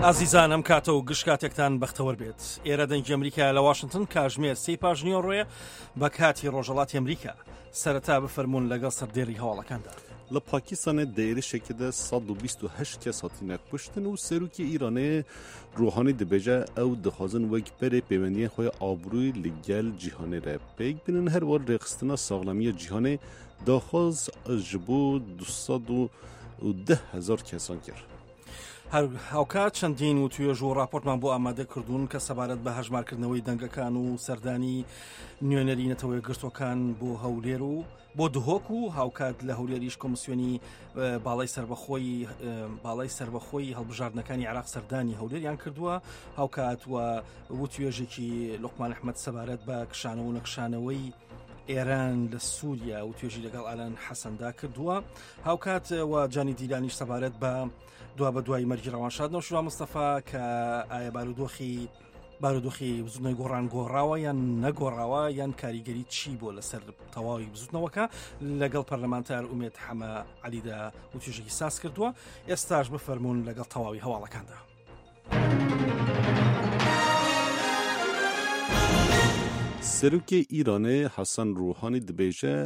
ئازیزان ئەم کاتە و گشت کاتێکتان بەختەوەر بێت ئێرە دەنگی ئەمریکا لە واشنگتن کاژمێر سی پاش نیوەڕۆیە بە کاتی ڕۆژەڵاتی ئەمریکا سەرەتا بفەرمونون لەگەڵ سەردێری هەواڵەکاندا. لە پاکستانê di êrişekê de 128 kes hatine kuştin û serokê Îranê Ruhanî dibêje ew dixwazin wek berê pêwendiyên xwe ya aborî li gel cîhanê re pêk bînin her war rêxistina saxlemiya cîhanê daxwaz ji bo 210 hezar kesan kir. هەر هاوکات چەندین وتوێژ و راپۆرتمان بۆ ئامادە کردوون کە سەبارەت بە هەژمارکردنەوەی دەنگەکان و سەردانی نوێنەری نەتەوە یەکگرتووەکان بۆ هەولێر و بۆ دهۆک و هاوکات لە هەولێریش کۆمسیۆنی باڵای سربەخۆی باڵای سربەخۆی هەڵبژاردنەکانی عراق سەردانی هەولێریان کردووە هاوکات و وتوێژێکی لوقمان ئەحمد سەبارەت بە کشانەوە و نەکشانەوەی ئێران لە سووریا و توێژی لەگەڵ ئالان حەسەندا کردووە هاوکات و جانی دیلانیش سەبارەت بە دوا بە دوای مەرگی ڕەوانشاد نەوشیروان مستەفا کە ئایا بارودۆخی بارودۆخی بزوتنەوەی گۆڕان گۆڕاوە یان نەگۆڕاوە یان کاریگەری چی بۆ لەسەر تەواوی بزوتنەوەکە لەگەڵ پەرلەمانتار ئومێد حەمە عەلیدا وتوێژێکی ساز کردووە ئێستاش بفەرمونون لەگەڵ تەواوی هەواڵەکاندا. Serokê Îranê Hesen Ruhanî dibêje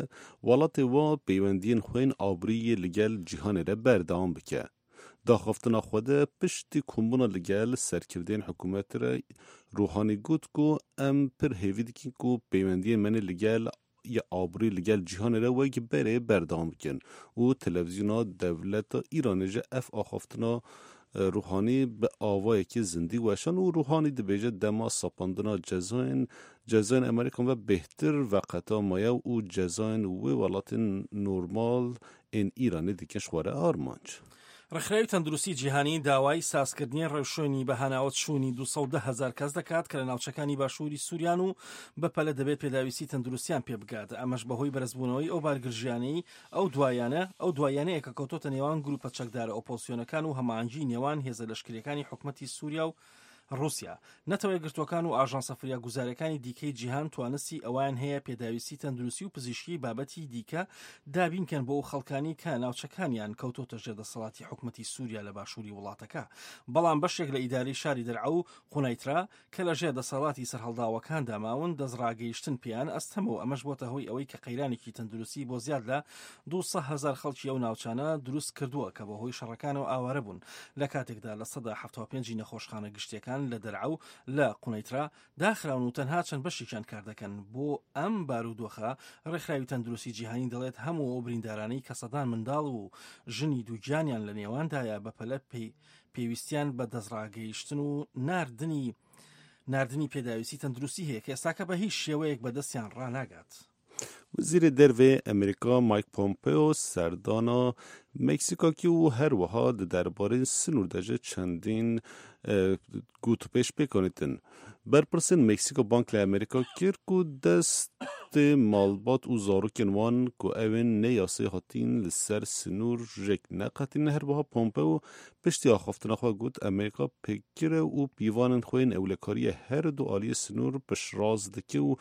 welatê wa peywendiyên xwe yên aborî yê li gel cîhanê re berdewam bike. Daxaftina xwe de piştî kombûna li gel serkirdeyên hikûmetê re Ruhanî got ku em pir hêvî dikin ku peywendiyên me li gel ya aborî li gel cîhanê re wek berê berdewam bikin û televîzyona dewleta Îranê jî ev axaftina Ruhanî bi awayekî zindî weşand û Ruhanî dibêje dema sapandina cezayên cezayên Amerîkan ve bêhtir veqeta maye û cezayên wê welatên normal ên Îranê dikin ji xwe re armanc. ڕێکخراوی تەندروستی جیهانی داوای سازکردنی ڕێوشوێنی بەهاناوە چوونی 210 هەزار کەس دەکات کە لە ناوچەکانی باشووری سووریان و بەپەلە دەبێت پێداویستی تەندروستیان پێ بگات ئەمەش بەهۆی بەرزبوونەوەی ئەو بارگرژیانەی ئەو دوایانە ئەو دوایانەیە کە کەوتۆتە نێوان گروپە چەکدارە ئۆپۆزسیۆنەکان و هەماهەنگی نێوان هێزە لەشکریەکانی حکومەتی سووریا و ڕووسیا، نەتەوە یەکگرتووەکان و ئاژانسە فریاگوزارییەکانی دیکەی جیهان توانستی ئەوەیان هەیە پێداویستی تەندروستی و پزیشکی بابەتی دیکە دابین کەن بۆ ئەو خەڵکانی کە ناوچەکانیان کەوتۆتە ژێر دەسەڵاتی حکومەتی سووریا لە باشووری وڵاتەکە بەڵام بەشێک لە ئیدارەی شاری دەرعە و قونەیترا کە لە ژێر دەسەڵاتی سەرهەڵداوەکاندا ماون دەستڕاگەیشتن پێیان ئەستەمە و ئەمەش بۆتە هۆی ئەوەی کە قەیرانێکی تەندروستی بۆ زیاد لە 200 هەزار خەڵکی ئەو ناوچانە دروست کردووە کە بەهۆی شەڕەکانەوە ئاوارە بوون لە کاتێکدا 75% ی نەخۆشخانە گشتیەکان لە دەرعا و لە قونەیترا داخراون و تەنها چەند بەشێکیان کار دەکەن. بۆ ئەم بارودۆخە ڕێکخراوی تەندروستی جیهانی دەڵێت هەموو ئەو بریندارانەی کە سەدان منداڵ و ژنی دووگیانیان لە نێواندایە بەپەلە پێویستیان بە دەستڕاگەیشتن و ناردنی ناردنی پێداویستی تەندروستی هەیە کە ئێستاکە بە هیچ شێوەیەک بەدەستیان ڕاناگات. Wezîrê Derve yê Amerîka Mike Pompeo serdana Meksîka kir û her wiha di derbarê sinûr de jî çendîn gotûbêj pêk anîtin. Berpirsên Meksîka bang li Amerîka kir ku destê malbat û zarokên wan ku ew ên ne yasayî hatîn li ser sinûr jêk neqetînin. Her wiha Pompeo piştî axaftina xwe got Amerîka pêkgir e û pîvanên xwe yên ewlekariyê her du aliyê sinûr piştrast dike û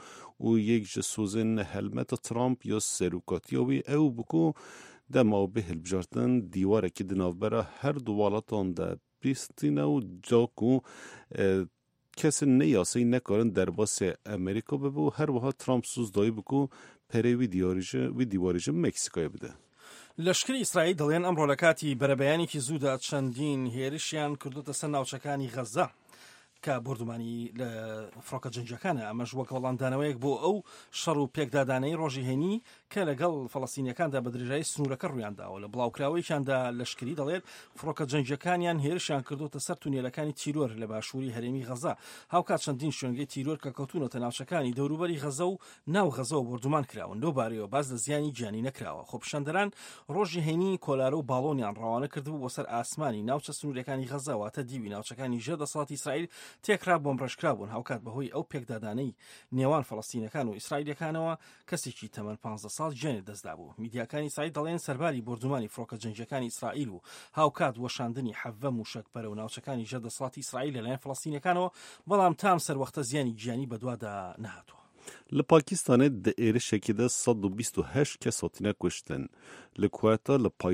û yek ji sozên helmeta Trump ya serokatiya wî ew bû ku dema ew bê hilbijartin dîwarekî di navbera her du welatan de pîstîne û da ku kesên ne yasayî nekarin derbasê Amerîka bibe û her wiha Trump soz dayî bû ku perê wî diyarî ji wî dîwarî ji Meksîkayê bide. لەشکری ئیسرائیل دەڵێن ئەمڕۆ لە کاتی بەرەبەیانێکی زوودا چەندین هێرشیان کردوتە سەر ناوچەکانی غەززە کە بۆردومانی لە فڕۆکە جەنگیەکانە ئەمەش وەک وەڵامدانەوەیەک بۆ ئەو شەڕ و پێکدادانەی ڕۆژی هەینی کە لەگەڵ فەڵەستینیەکاندا بە درێژایی سنوورەکە ڕوویانداوە لە بڵاوکراوەیەکیاندا لەشکری دەڵێت فڕۆکە جەنگیەکانیان هێرشیان کردوتە سەر تونێلەکانی تیرۆر لە باشووری هەرێمی غەزە هاوکات چەندین شوێنگەی تیرۆر کە کەوتونەتە ناوچەکانی دەوروبەری غەزە و ناو غەزەوە بۆردومان کراون، لەو بارەیەوە باس لە زیانی گیانی نەکراوە. خۆپیشاندەران ڕۆژی هەینی کۆلارە و باڵۆنیان ڕەوانە کردبوو بۆ سەر ئاسمانی ناوچە سنووریەکانی غەزە، واتە دیوی ناوچەکانی ژێر دەسەڵاتی ئیسرائیل تێکرا بۆمبڕێژکرابوون، هاوکات بەهۆی ئەو پێکدادانەی نێوان فەڵەستینەکان و ئیسرائیلیەکانەوە کەسێکی تەمەن 15 ساڵ گیانی لەدەستدابوو. میدیاکانی ئیسرائیل دەڵێن سەرباری بۆردومانی فڕۆکە جەنگیەکانی ئیسرائیل و هاوکات وەشاندنی 17 موشەک بەرەو ناوچەکانی ژێر دەسەڵاتی ئیسرائیل لەلایەن فەڵەستینەکانەوە، بەڵام تا ئەم سەروەختە زیانی گیانی بەدوادا نەهاتووە. Li Pakistanê di êrişekê de 128 kes hatine kuştin. Li Quetta li paytexta.